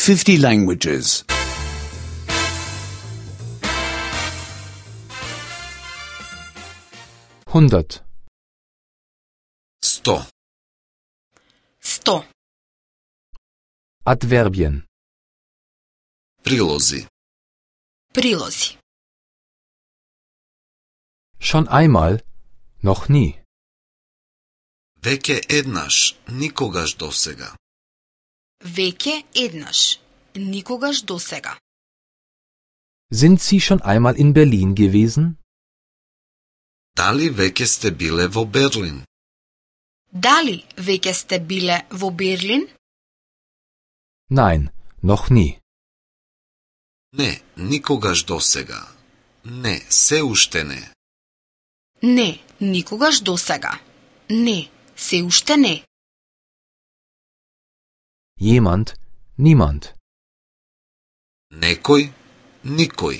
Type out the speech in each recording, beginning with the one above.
50 languages. 100. 100. 100. Adverbien. Prilozi. Prilozi. Schon einmal, noch nie. Веќе еднаш, никогаш досега. Веќе еднаш. Никогаш досега. Sind Sie schon einmal in Berlin gewesen? Дали веќе сте биле во Берлин? Дали веќе сте биле во Берлин? Nein, noch nie. Не, никогаш досега. Не, се уште не. Не, никогаш досега. Не, се уште не. Jemand, niemand. Некој, никој.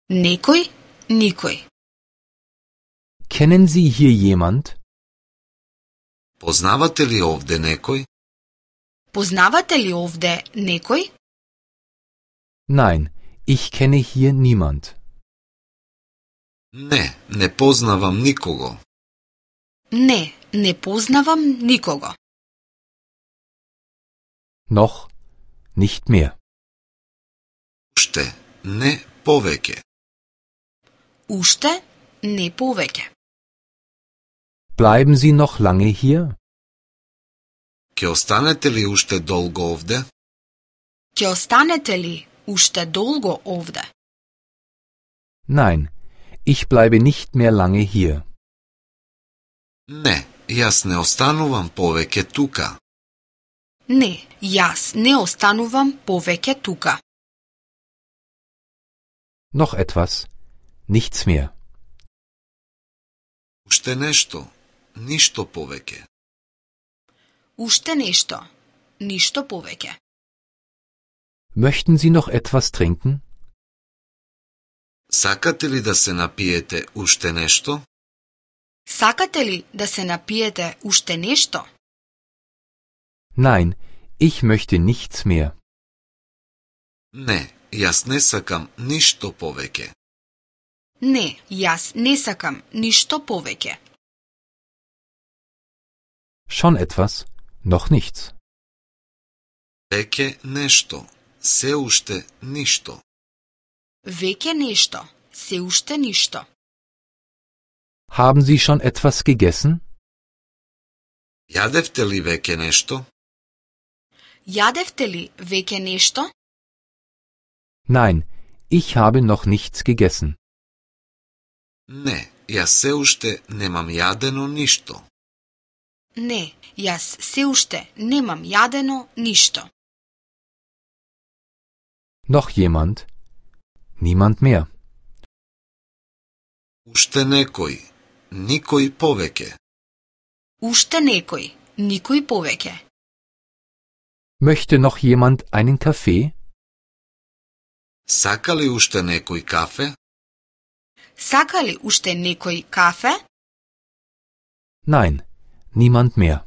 Некој, никој. Kennen Sie hier jemand? Познавате ли овде некој? Познавате ли овде некој? Nein, ich kenne hier niemand. Не, не познавам никого. Не, не познавам никого. Noch, nicht mehr. Уште, не повеќе. Уште, не повеќе. Bleiben Sie noch lange hier? Ќе останете ли уште долго овде? Ќе останете ли уште долго овде? Nein, ich bleibe nicht mehr lange hier. Не, јас не останувам повеќе тука. Не, јас не останувам повеќе тука. Noch etwas, nichts mehr. Уште нешто, ништо повеќе. Уште нешто, ништо повеќе. Möchten Sie noch etwas trinken? Сакате ли да се напиете уште нешто? Сакате ли да се напиете уште нешто? Nein, ich möchte nichts mehr. Не, јас не сакам ништо повеќе. Не, јас не сакам ништо повеќе. Schon etwas, noch nichts. Веќе нешто, се уште ништо. Веќе нешто, се уште ништо. Haben Sie schon etwas gegessen? Јадевте ли веќе нешто? Јадевте ли веќе нешто? Nein, ich habe noch nichts gegessen. Не, јас се уште немам јадено ништо. Не, јас се уште немам јадено ништо. Noch jemand? Niemand mehr. Уште некој, никој повеќе. Уште некој, никој повеќе. Möchte noch jemand einen Kaffee? Сака ли уште некој кафе? Сака ли уште некој кафе? Nein, niemand mehr.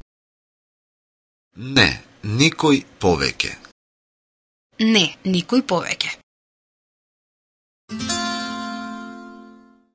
Не, никој повеќе. Не, никој повеќе.